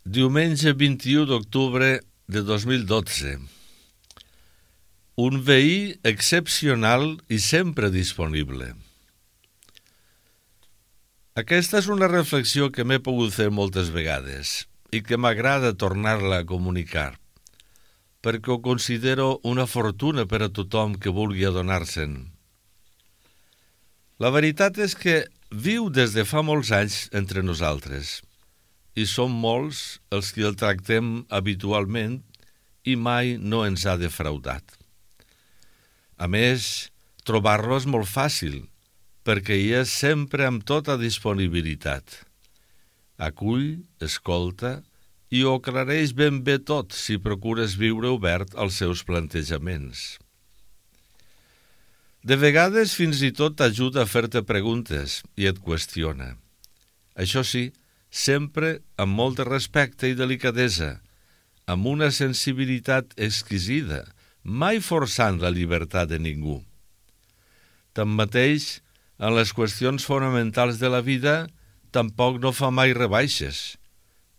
Diumenge 21 d'octubre de 2012. Un veí excepcional i sempre disponible. Aquesta és una reflexió que m'he pogut fer moltes vegades i que m'agrada tornar-la a comunicar, perquè ho considero una fortuna per a tothom que vulgui adonar-se'n. La veritat és que viu des de fa molts anys entre nosaltres i som molts els que el tractem habitualment i mai no ens ha defraudat. A més, trobar-lo és molt fàcil, perquè hi és sempre amb tota disponibilitat. Acull, escolta i ho aclareix ben bé tot si procures viure obert als seus plantejaments. De vegades fins i tot t'ajuda a fer-te preguntes i et qüestiona. Això sí, sempre amb molt de respecte i delicadesa, amb una sensibilitat exquisida, mai forçant la llibertat de ningú. Tanmateix, en les qüestions fonamentals de la vida, tampoc no fa mai rebaixes.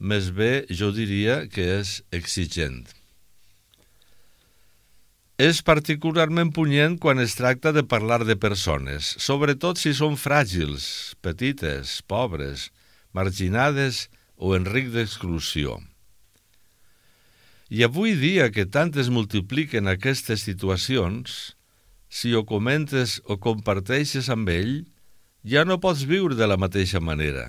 Més bé, jo diria que és exigent. És particularment punyent quan es tracta de parlar de persones, sobretot si són fràgils, petites, pobres, marginades o en risc d'exclusió. I avui dia que tant es multipliquen aquestes situacions, si ho comentes o comparteixes amb ell, ja no pots viure de la mateixa manera.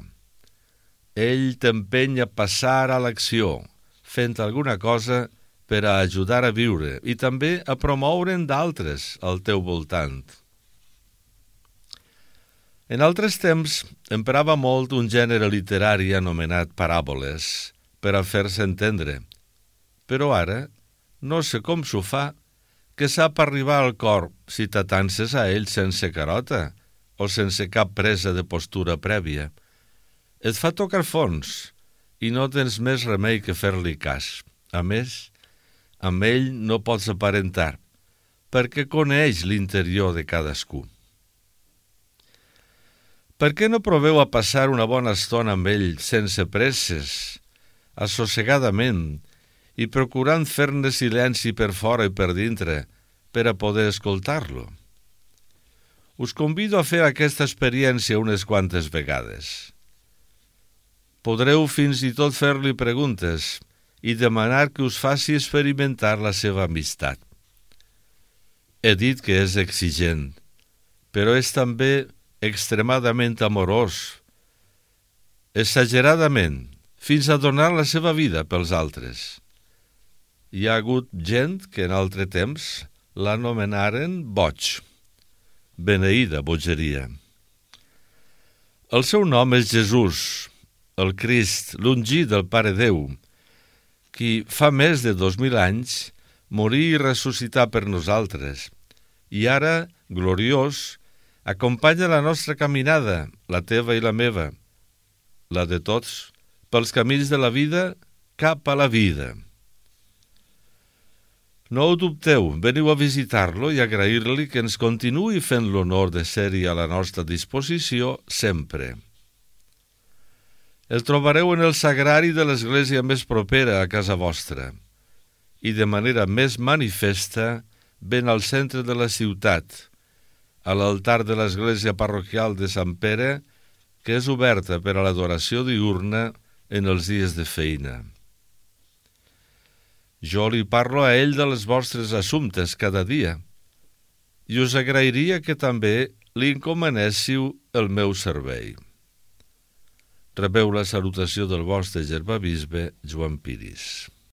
Ell t'empeny a passar a l'acció, fent alguna cosa per a ajudar a viure i també a promoure'n d'altres al teu voltant. En altres temps emprava molt un gènere literari anomenat paràboles per a fer-se entendre, però ara no sé com s'ho fa, que sap arribar al cor si t'atances a ell sense carota o sense cap presa de postura prèvia. Et fa tocar fons i no tens més remei que fer-li cas. A més, amb ell no pots aparentar, perquè coneix l'interior de cadascú. Per què no proveu a passar una bona estona amb ell sense presses, assossegadament, i procurant fer-ne silenci per fora i per dintre per a poder escoltar-lo? Us convido a fer aquesta experiència unes quantes vegades. Podreu fins i tot fer-li preguntes i demanar que us faci experimentar la seva amistat. He dit que és exigent, però és també extremadament amorós, exageradament, fins a donar la seva vida pels altres. Hi ha hagut gent que en altre temps l'anomenaren boig. Beneïda bogeria. El seu nom és Jesús, el Crist, l'ungit del Pare Déu, qui fa més de 2000 anys morí i ressuscità per nosaltres, i ara, gloriós, acompanya la nostra caminada, la teva i la meva, la de tots, pels camins de la vida cap a la vida. No ho dubteu, veniu a visitar-lo i agrair-li que ens continuï fent l'honor de ser-hi a la nostra disposició sempre. El trobareu en el sagrari de l'església més propera a casa vostra i de manera més manifesta ben al centre de la ciutat, a l'altar de l'església parroquial de Sant Pere, que és oberta per a l'adoració diürna en els dies de feina. Jo li parlo a ell dels vostres assumptes cada dia i us agrairia que també li encomanéssiu el meu servei. Rebeu la salutació del vostre germabisbe Joan Piris.